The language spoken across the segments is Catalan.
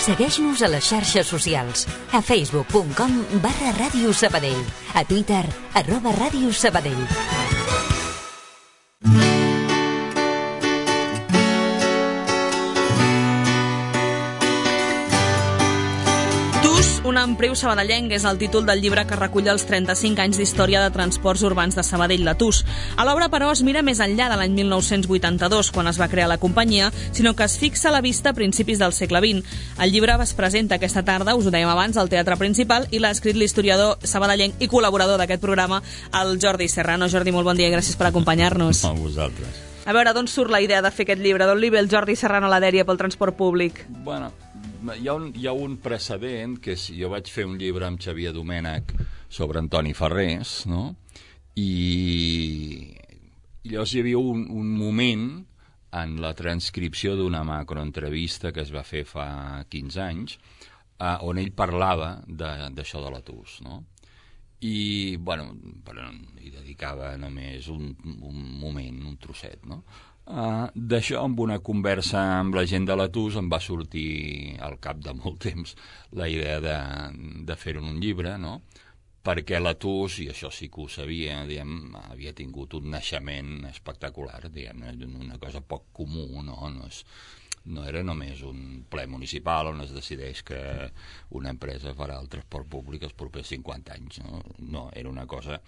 Segueix-nos a les xarxes socials. A facebook.com/Ràdio Sabadell. A Twitter, @Ràdio Sabadell. Un empriu sabadellenc és el títol del llibre que recull els 35 anys d'història de transports urbans de Sabadell, la TUS. A l'obra, però, es mira més enllà de l'any 1982, quan es va crear la companyia, sinó que es fixa la vista a principis del segle XX. El llibre es presenta aquesta tarda, us ho dèiem abans, al Teatre Principal, i l'ha escrit l'historiador sabadellenc i col·laborador d'aquest programa, el Jordi Serrano. Jordi, molt bon dia i gràcies per acompanyar-nos. A vosaltres. A veure, d'on surt la idea de fer aquest llibre? D'on li ve el Jordi Serrano a la dèria pel transport públic? Bueno, hi ha un precedent, que és, jo vaig fer un llibre amb Xavier Domènech sobre Antoni Ferrés, no? I llavors hi havia un moment en la transcripció d'una macroentrevista que es va fer fa 15 anys, on ell parlava d'això de la TUS, no? I, bueno, hi dedicava només un moment, un trosset, no? D'això, amb una conversa amb la gent de la TUS, em va sortir al cap de molt temps la idea de fer-ho en un llibre, no? Perquè la TUS, i això sí que ho sabia, diguem, havia tingut un naixement espectacular, diguem, una cosa poc comú, no era només un ple municipal on es decideix que una empresa farà el transport públic els propers 50 anys, no, era una cosa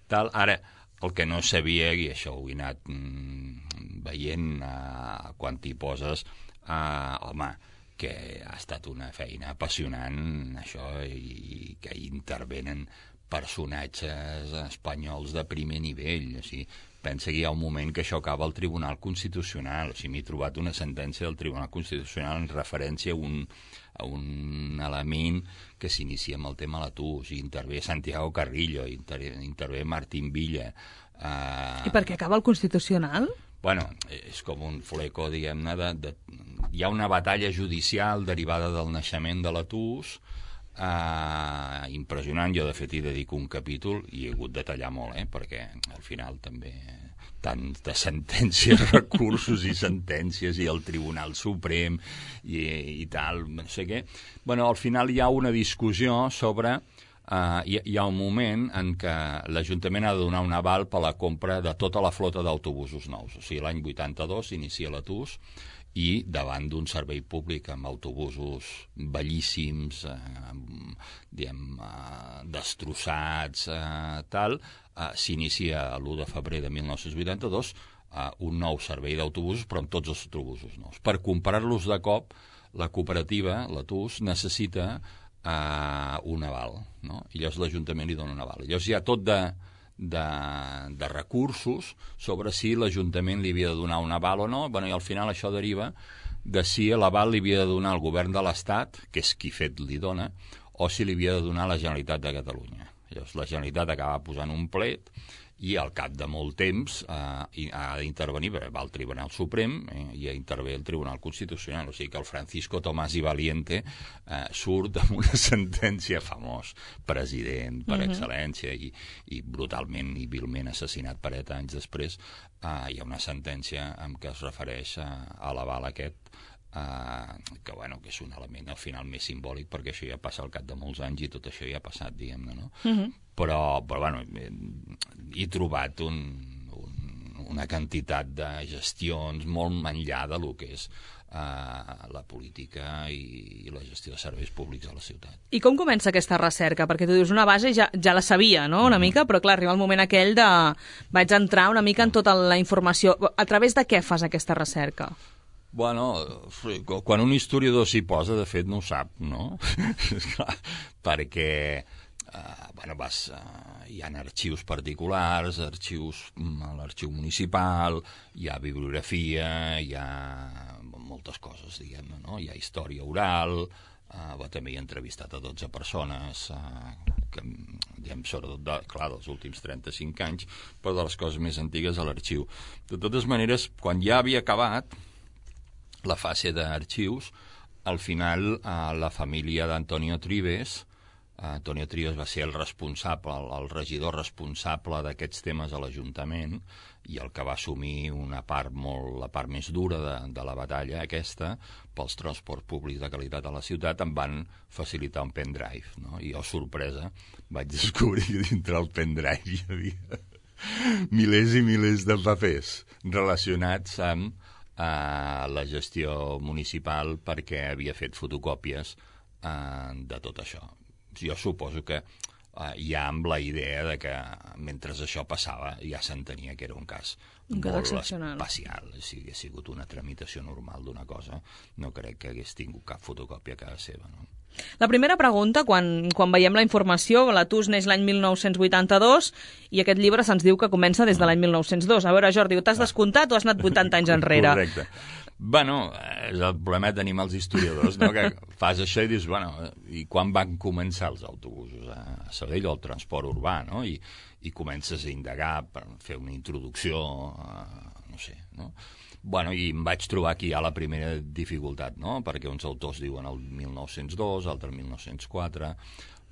tal. Ara, el que no sabia, i això ho he anat veient quan t'hi poses, home, que ha estat una feina apassionant, això, i que hi intervenen personatges espanyols de primer nivell. O sigui, pensa que hi ha un moment que això acaba al Tribunal Constitucional. O sigui, m'he trobat una sentència del Tribunal Constitucional en referència a un element que s'inicia amb el tema de la TUS, i intervé Santiago Carrillo, intervé Martín Villa. I per què acaba el Constitucional? Bueno, és com un fleco, diguem-ne, hi ha una batalla judicial derivada del naixement de la TUS, impressionant. Jo, de fet, hi dedico un capítol i he hagut de tallar molt, perquè al final també tant de sentències, recursos i sentències, i el Tribunal Suprem i tal, no sé què. Bueno, al final hi ha una discussió sobre... hi ha un moment en què l'Ajuntament ha de donar un aval per la compra de tota la flota d'autobusos nous. O sigui, l'any 82 s'inicia la TUS, i davant d'un servei públic amb autobusos bellíssims, destrossats, s'inicia l'1 de febrer de 1982 un nou servei d'autobusos, però amb tots els autobusos nous. Per comprar-los de cop, la cooperativa, la TUS, necessita un aval, no? I llavors l'Ajuntament li dona un aval. Llavors hi ha tot de recursos sobre si l'Ajuntament li havia de donar un aval o no. Bueno, i al final això deriva de si l'aval li havia de donar el govern de l'Estat, que és qui fet li dona, o si li havia de donar la Generalitat de Catalunya. Llavors la Generalitat acaba posant un plet, i al cap de molt temps ha d'intervenir, perquè va al Tribunal Suprem, i intervé el Tribunal Constitucional. O sigui que el Francisco Tomás y Valiente surt amb una sentència, famós president per excel·lència, i brutalment i vilment assassinat per ETA anys després. Hi ha una sentència en què es refereix a l'aval aquest, que és un element al final més simbòlic, perquè això ja passa al cap de molts anys i tot això ja ha passat, diguem-ne, no? Però he trobat una quantitat de gestions molt enllà de lo que és la política i la gestió de serveis públics a la ciutat. I com comença aquesta recerca? Perquè tu dius una base ja la sabia, no?, una mica, però clar, arriba el moment aquell de vaig entrar una mica en tota la informació. A través de què fas aquesta recerca? Bueno, quan un historiador s'hi posa, de fet no ho sap, no? Perquè hi ha arxius particulars, l'arxiu municipal, hi ha bibliografia, hi ha moltes coses, diguem-ne, no? Hi ha història oral, també he entrevistat a 12 persones, sobretot, clar, dels últims 35 anys, però de les coses més antigues a l'arxiu. De totes maneres, quan ja havia acabat la fase d'arxius, al final la família d'Antonio Trives Antonio Trias va ser el regidor responsable d'aquests temes a l'Ajuntament i el que va assumir la part més dura de la batalla aquesta pels transports públics de qualitat a la ciutat. Em van facilitar un pendrive, no? I jo, sorpresa, vaig descobrir que dintre el pendrive hi havia milers i milers de papers relacionats amb la gestió municipal perquè havia fet fotocòpies de tot això. Jo suposo que ja amb la idea de que mentre això passava ja s'entenia que era un cas molt especial. Si hagués sigut una tramitació normal d'una cosa, no crec que hagués tingut cap fotocòpia a casa seva, no? La primera pregunta, quan veiem la informació, la TUS neix l'any 1982 i aquest llibre se'ns diu que comença des de l'any 1902. A veure, Jordi, t'has descomptat o has anat 80 anys enrere? Correcte. Bueno, és el problema que tenim els historiadors, no? Que fas això i dius, bueno, i quan van començar els autobusos a Sabadell o el transport urbà, no? I comences a indagar per fer una introducció, no sé, no? Bueno, i em vaig trobar aquí ja la primera dificultat, no? Perquè uns autors diuen el 1902, altres el 1904...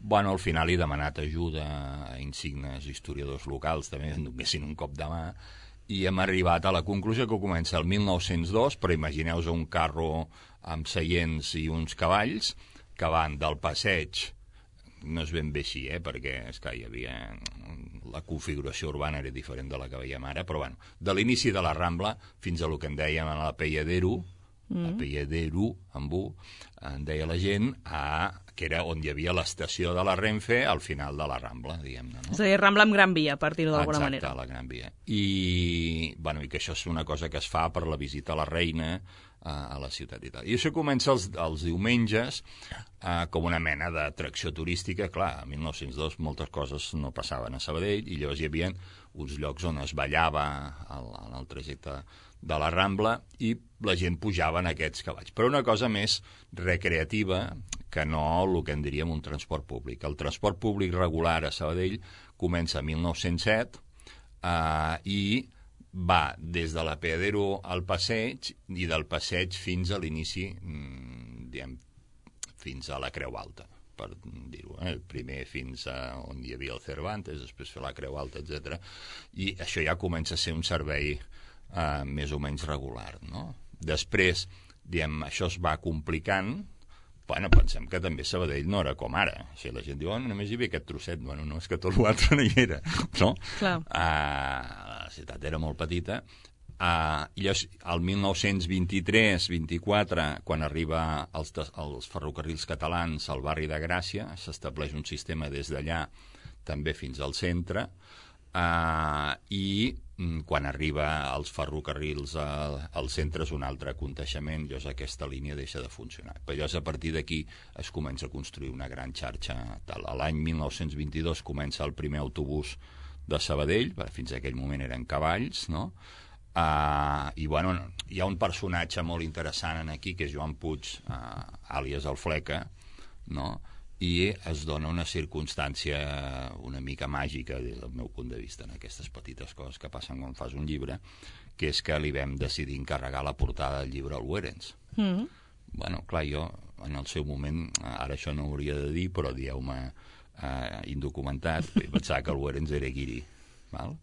Bueno, al final he demanat ajuda a insignes historiadors locals, també em donessin un cop de mà, i hem arribat a la conclusió que comença el 1902, però imagineu-vos un carro amb seients i uns cavalls que van del passeig, no és ben bé així, perquè és que hi havia... la configuració urbana era diferent de la que veiem ara, però bueno, de l'inici de la Rambla fins a lo que en dèiem a la Pelladero, la Pelladero, amb U, en deia la gent, que era on hi havia l'estació de la Renfe al final de la Rambla, diguem-ne, no? És a dir, Rambla amb Gran Via, per dir-ho d'alguna manera. Exacte, la Gran Via. I que això és una cosa que es fa per la visita a la reina a la ciutat i tal. I això comença els diumenges com una mena d'atracció turística. Clar, en 1902 moltes coses no passaven a Sabadell i llavors hi havia uns llocs on es ballava en el trajecte de la Rambla i la gent pujava en aquests cavalls. Però una cosa més recreativa que no el que en diríem un transport públic. El transport públic regular a Sabadell comença en 1907 i va des de la Pelladero al passeig i del passeig fins a l'inici, fins a la Creu Alta, per dir-ho. Primer fins a on hi havia el Cervantes, després fer la Creu Alta, etc. I això ja comença a ser un servei més o menys regular, no? Després, això es va complicant. Bueno, pensem que també Sabadell no era com ara. O sigui, la gent diu, només hi havia aquest trosset. Bueno, no, és que tot l'altre no hi era, no? Clar. La ciutat era molt petita. I llavors, el 1923-24, quan arriba els ferrocarrils catalans al barri de Gràcia, s'estableix un sistema des d'allà també fins al centre, i quan arriba als ferrocarrils al centre és un altre aconteixement, llavors aquesta línia deixa de funcionar. Però llavors a partir d'aquí es comença a construir una gran xarxa. L'any 1922 comença el primer autobús de Sabadell, fins a aquell moment eren cavalls, no? I bueno, hi ha un personatge molt interessant aquí, que és Joan Puig, àlies el Fleca, no? I es dona una circumstància una mica màgica, des del meu punt de vista, en aquestes petites coses que passen quan fas un llibre, que és que li vam decidir encarregar la portada del llibre al Wherens. Bueno, clar, jo, en el seu moment, ara això no ho hauria de dir, però dieu-me indocumentat, pensava que el Wherens era guiri, val?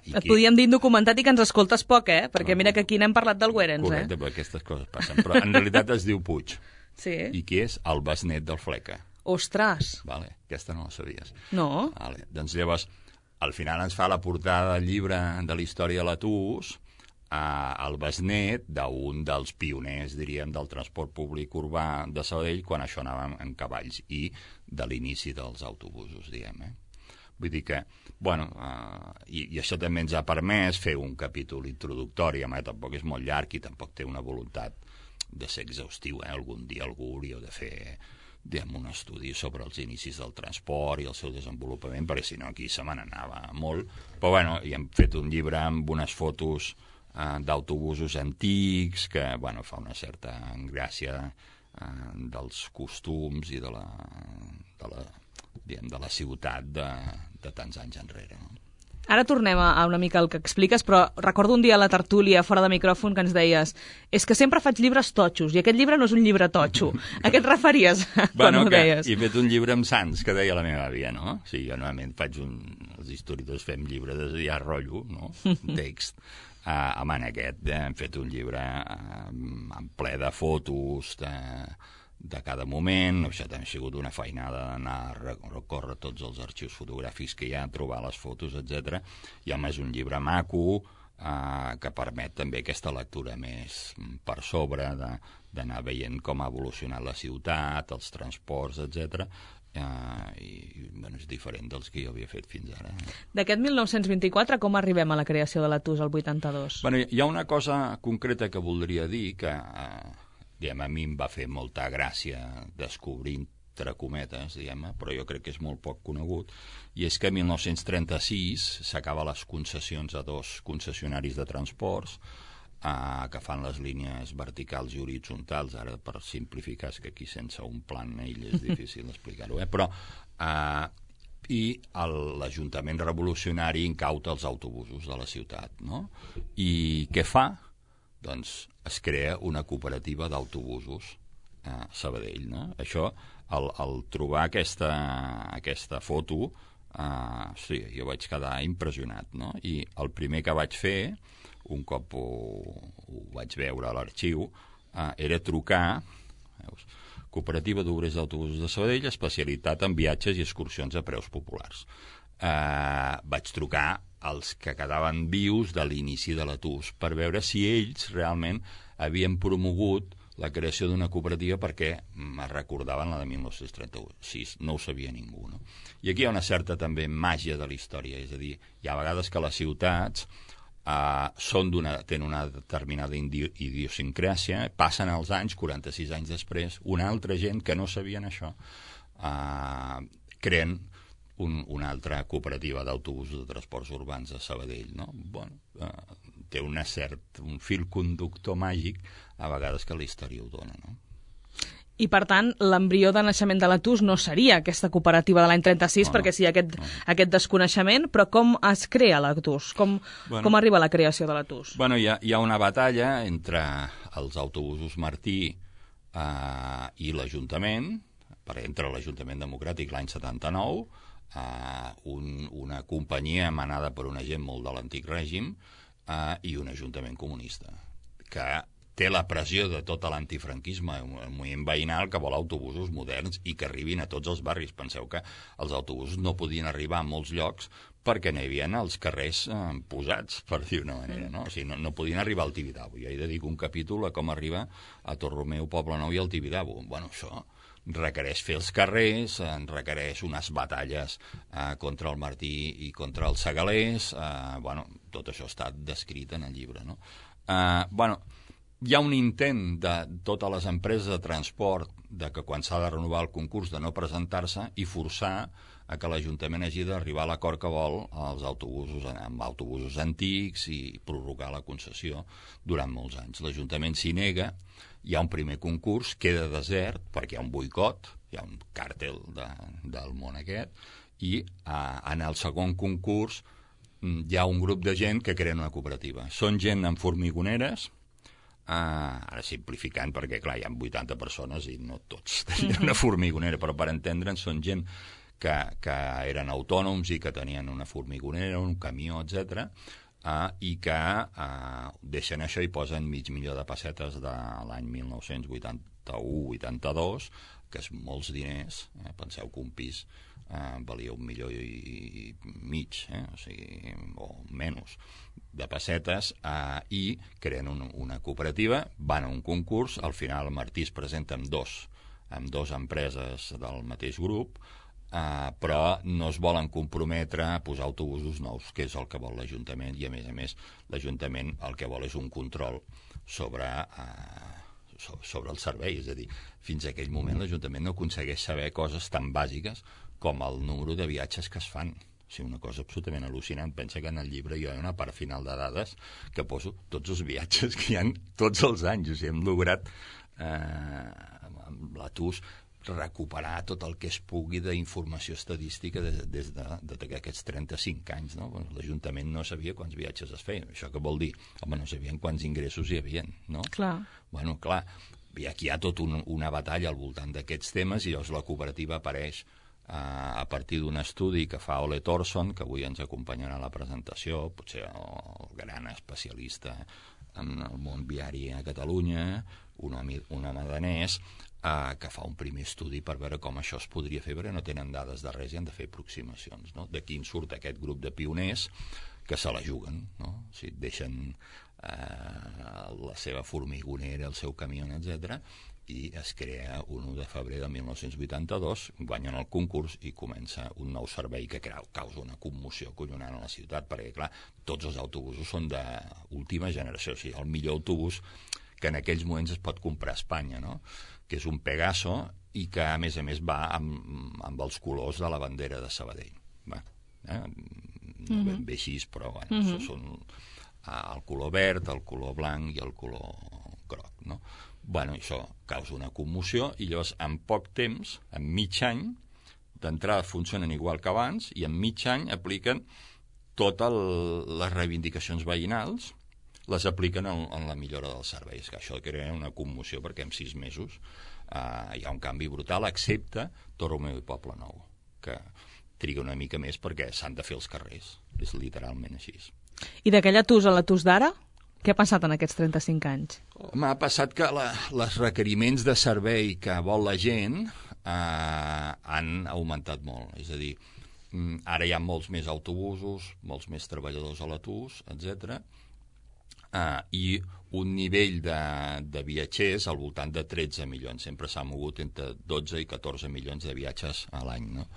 Et podíem dir indocumentat i que ens escoltes poc, perquè mira que aquí n'hem parlat del Wherens, Correcte, perquè aquestes coses passen, però en realitat es diu Puig. Sí. I qui és? El besnet del Fleca. Ostres! Vale, aquesta no la sabies. No. Vale. Doncs llavors, al final ens fa la portada del llibre de la història de la TUS el besnet d'un dels pioners, diríem, del transport públic urbà de Sabadell quan això anava en cavalls i de l'inici dels autobusos, diguem, Vull dir que, bueno, i això també ens ha permès fer un capítol introductori, tampoc és molt llarg i tampoc té una voluntat de ser exhaustiu, Algun dia algú hauria de fer, un estudi sobre els inicis del transport i el seu desenvolupament, perquè si no aquí se me n'anava molt. Però bueno, hi hem fet un llibre amb unes fotos d'autobusos antics que, bueno, fa una certa gràcia dels costums i de la ciutat de tants anys enrere, no? Ara tornem a una mica el que expliques, però recordo un dia a la tertúlia, fora de micròfon, que ens deies és que sempre faig llibres totxos, i aquest llibre no és un llibre totxo. A què et referies quan ho deies? He fet un llibre amb sants, que deia la meva àvia, no? O sigui, jo normalment els historiadors fem llibres de ja rotllo, no? Text. En aquest hem fet un llibre en ple de fotos, de cada moment. Això també ha sigut una feinada d'anar a recórrer tots els arxius fotogràfics que hi ha, trobar les fotos, etc. I a més un llibre maco que permet també aquesta lectura més per sobre, d'anar veient com ha evolucionat la ciutat, els transports, etc. I és diferent dels que jo havia fet fins ara. D'aquest 1924, com arribem a la creació de la TUS al 82? Hi ha una cosa concreta que voldria dir que a mi em va fer molta gràcia descobrir, entre cometes, però jo crec que és molt poc conegut, i és que en 1936 s'acaba les concessions a 2 concessionaris de transports que fan les línies verticals i horitzontals. Ara, per simplificar, és que aquí sense un plan ell és difícil explicar-ho, però i l'Ajuntament revolucionari incauta els autobusos de la ciutat, no? I què fa? Doncs es crea una cooperativa d'autobusos a Sabadell, no? Això, al trobar aquesta foto, sí, jo vaig quedar impressionat, no? I el primer que vaig fer, un cop ho vaig veure a l'arxiu, era trucar, veus, Cooperativa d'Obrers d'Autobusos de Sabadell, especialitat en viatges i excursions a preus populars. Vaig trucar els que quedaven vius de l'inici de la TUS per veure si ells realment havien promogut la creació d'una cooperativa, perquè me recordaven la de 1936, no ho sabia ningú, no? I aquí hi ha una certa també màgia de la història, és a dir, hi ha vegades que les ciutats tenen una determinada idiosincràsia, passen els anys, 46 anys després, una altra gent que no sabien això creen una altra cooperativa d'autobusos de transports urbans de Sabadell, no? Té un fil conductor màgic, a vegades, que la història ho dona, no? I, per tant, l'embrió de naixement de la TUS no seria aquesta cooperativa de l'any 36, perquè sí, aquest desconeixement, però com es crea la TUS? Com arriba a la creació de la TUS? Hi ha una batalla entre els autobusos Martí i l'Ajuntament, entre l'Ajuntament Democràtic l'any 79, una companyia manada per una gent molt de l'antic règim i un ajuntament comunista, que té la pressió de tot l'antifranquisme, un moviment veïnal que vol autobusos moderns i que arribin a tots els barris. Penseu que els autobusos no podien arribar a molts llocs perquè no hi havia els carrers posats, per dir-ho d'una manera, no? O sigui, no podien arribar al Tibidabo. Jo hi dedico un capítol a com arriba a Torromeu, Poblenou i al Tibidabo. Això requereix fer els carrers, requereix unes batalles contra el Martí i contra els segalers. Tot això està descrit en el llibre, no? Hi ha un intent de totes les empreses de transport de que quan s'ha de renovar el concurs de no presentar-se i forçar a que l'Ajuntament hagi d'arribar a l'acord que vol amb autobusos antics i prorrogar la concessió durant molts anys. L'Ajuntament s'hi nega, hi ha un primer concurs, queda desert perquè hi ha un boicot, hi ha un càrtel del món aquest, i en el segon concurs hi ha un grup de gent que creen una cooperativa. Són gent amb formigoneres, ara simplificant perquè, clar, hi ha 80 persones i no tots tenien una formigonera, però per entendre'ns són gent que eren autònoms i que tenien una formigonera, un camió, etc., i que deixen això i posen $500,000 de pessetes de l'any 1981-82, que és molts diners. Penseu que un pis valia $1,5 milions, o sigui, o menys, de pessetes, i creen una cooperativa, van a un concurs, al final el Martí es presenta amb dos empreses del mateix grup, però no es volen comprometre a posar autobusos nous, que és el que vol l'Ajuntament, i a més l'Ajuntament el que vol és un control sobre el servei, és a dir, fins a aquell moment l'Ajuntament no aconsegueix saber coses tan bàsiques com el número de viatges que es fan. O sigui, una cosa absolutament al·lucinant. Pensa que en el llibre hi ha una part final de dades que poso tots els viatges que hi ha tots els anys. O sigui, hem lograt la TUS recuperar tot el que es pugui d'informació estadística des d'aquests 35 anys, no? L'Ajuntament no sabia quants viatges es feien. Això què vol dir? Home, no sabien quants ingressos hi havia, no? Clar. Bueno, clar, i aquí hi ha tota una batalla al voltant d'aquests temes i llavors la cooperativa apareix a partir d'un estudi que fa Ole Thorson, que avui ens acompanyarà a la presentació, potser el gran especialista en el món viari a Catalunya, un home danès, que fa un primer estudi per veure com això es podria fer, perquè no tenen dades de res i han de fer aproximacions, no? D'aquí en surt aquest grup de pioners que se la juguen, no? O sigui, deixen la seva formigonera, el seu camió, etc., i es crea un 1 de febrer de 1982, guanyen el concurs i comença un nou servei que causa una commoció collonant a la ciutat, perquè, clar, tots els autobusos són d'última generació, o sigui, el millor autobús que en aquells moments es pot comprar a Espanya, no? Que és un Pegaso i que, a més, va amb els colors de la bandera de Sabadell. No ben bé així, però bueno, són el color verd, el color blanc i el color groc, no? Bueno, això causa una commoció i llavors en poc temps, en mig any, d'entrada funcionen igual que abans i en mig any apliquen totes les reivindicacions veïnals, les apliquen en la millora dels serveis, que això crea una commoció perquè en 6 mesos hi ha un canvi brutal, excepte Torromeu i Poble Nou, que triga una mica més perquè s'han de fer els carrers, és literalment així. I d'aquella TUS a la TUS d'ara? Què ha passat en aquests 35 anys? M'ha passat que els requeriments de servei que vol la gent han augmentat molt. És a dir, ara hi ha molts més autobusos, molts més treballadors a la TUS, etc. I un nivell de viatgers al voltant de 13 milions. Sempre s'ha mogut entre 12 i 14 milions de viatges a l'any, no?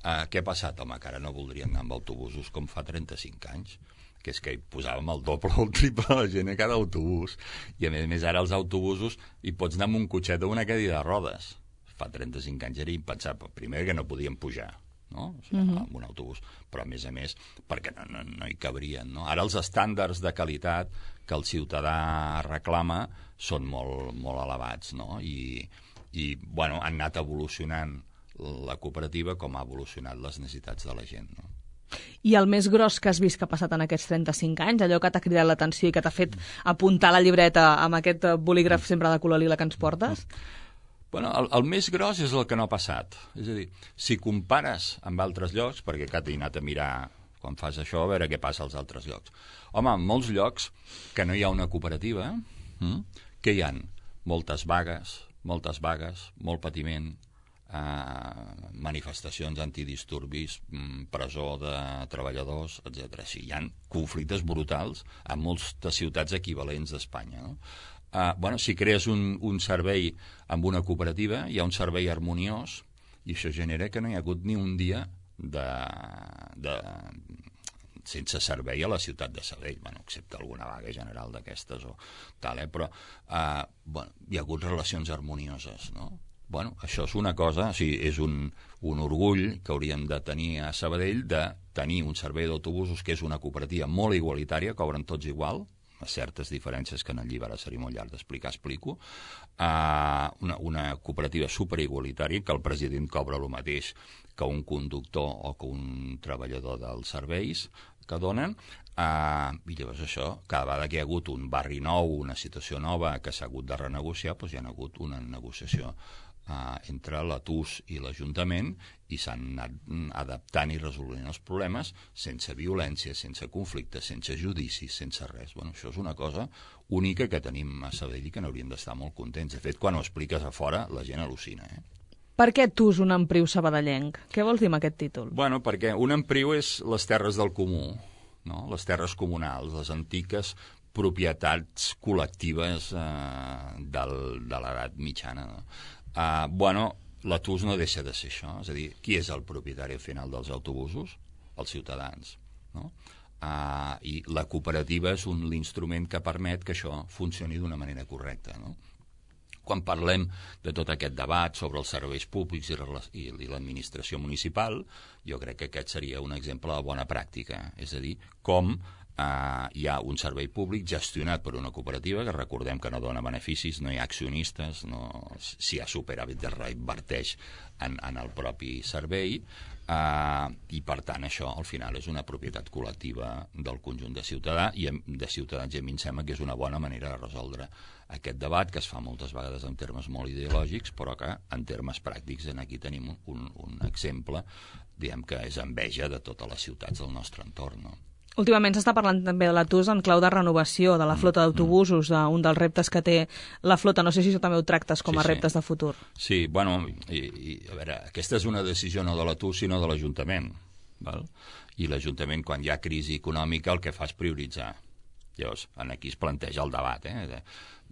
Què ha passat? Home, que ara no voldrien anar amb autobusos com fa 35 anys, que és que hi posàvem el doble o el triple de la gent a cada autobús, i a més ara els autobusos hi pots anar amb un cotxet o una cadira de rodes. Fa 35 anys era impensable, primer que no podíem pujar, no? O sigui, amb un autobús, però a més, perquè no hi cabrien, no? Ara els estàndards de qualitat que el ciutadà reclama són molt, molt elevats, no? I bueno, han anat evolucionant la cooperativa com ha evolucionat les necessitats de la gent, no? I el més gros que has vist que ha passat en aquests 35 anys, allò que t'ha cridat l'atenció i que t'ha fet apuntar la llibreta amb aquest bolígraf sempre de color lila que ens portes? Bueno, el més gros és el que no ha passat. És a dir, si compares amb altres llocs, perquè he anat a mirar quan fas això, a veure què passa als altres llocs. Home, en molts llocs que no hi ha una cooperativa, que hi ha moltes vagues, molt patiment, manifestacions antidisturbis, presó de treballadors, etc. Sí, hi ha conflictes brutals en moltes ciutats equivalents d'Espanya, no? Bueno, si crees un servei amb una cooperativa, hi ha un servei harmoniós i això genera que no hi ha hagut ni un dia sense servei a la ciutat de Sabadell, bueno, excepte alguna vaga general d'aquestes o tal, però bueno, hi ha hagut relacions harmonioses, no? Bueno, això és una cosa, o sigui, és un orgull que hauríem de tenir a Sabadell, de tenir un servei d'autobusos que és una cooperativa molt igualitària, cobren tots igual, a certes diferències que en el llibre seria molt llarg d'explicar, explico, una cooperativa superigualitària, que el president cobra el mateix que un conductor o que un treballador dels serveis que donen, i llavors això, cada vegada que hi ha hagut un barri nou, una situació nova que s'ha hagut de renegociar, doncs hi ha hagut una negociació entre la TUS i l'Ajuntament i s'han anat adaptant i resolent els problemes sense violència, sense conflictes, sense judicis, sense res. Bueno, això és una cosa única que tenim a Sabadell i que n'hauríem d'estar molt contents. De fet, quan ho expliques a fora, la gent al·lucina. Per què TUS, un empriu sabadellenc? Què vols dir amb aquest títol? Bueno, perquè un empriu és les terres del comú, no? Les terres comunals, les antiques propietats col·lectives de l'edat mitjana, no? Bueno, la TUS no deixa de ser això, és a dir, qui és el propietari al final dels autobusos? Els ciutadans, no? I la cooperativa és l'instrument que permet que això funcioni d'una manera correcta, no? Quan parlem de tot aquest debat sobre els serveis públics i l'administració municipal, jo crec que aquest seria un exemple de bona pràctica, és a dir, com hi ha un servei públic gestionat per una cooperativa, que recordem que no dona beneficis, no hi ha accionistes, si hi ha superàvit es reinverteix en el propi servei, i per tant això al final és una propietat col·lectiva del conjunt de ciutadans, i a mi em sembla que és una bona manera de resoldre aquest debat, que es fa moltes vegades en termes molt ideològics, però que en termes pràctics aquí tenim un exemple, diguem que és enveja de totes les ciutats del nostre entorn, no? Últimament s'està parlant també de l'ATUS en clau de renovació de la flota d'autobusos, un dels reptes que té la flota. No sé si això també ho tractes com a reptes de futur. Sí, bueno, a veure, aquesta és una decisió no de l'ATUS sinó de l'Ajuntament, val? I l'Ajuntament, quan hi ha crisi econòmica, el que fa és prioritzar. Llavors, aquí es planteja el debat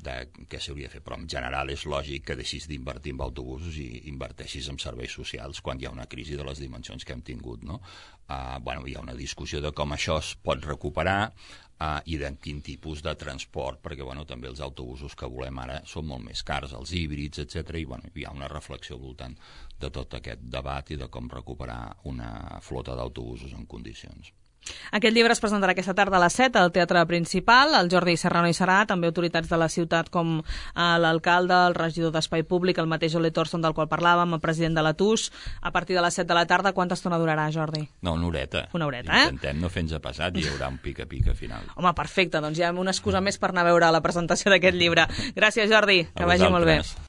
de què s'hauria de fer, però en general és lògic que deixis d'invertir en autobusos i inverteixis en serveis socials quan hi ha una crisi de les dimensions que hem tingut, no? Hi ha una discussió de com això es pot recuperar i de quin tipus de transport, perquè també els autobusos que volem ara són molt més cars, els híbrids, etc. I hi ha una reflexió al voltant de tot aquest debat i de com recuperar una flota d'autobusos en condicions. Aquest llibre es presentarà aquesta tarda a les 7 al Teatre Principal. El Jordi Serrano hi serà, també autoritats de la ciutat com l'alcalde, el regidor d'Espai Públic, el mateix Ole Thorsson del qual parlàvem, el president de l'ATUS. A partir de les 7 de la tarda, quanta estona durarà, Jordi? No, una horeta. Una horeta, Intentem no fer-nos passat i hi haurà un pica-pica final. Home, perfecte, doncs hi ha una excusa més per anar a veure la presentació d'aquest llibre. Gràcies, Jordi, que vagi molt bé.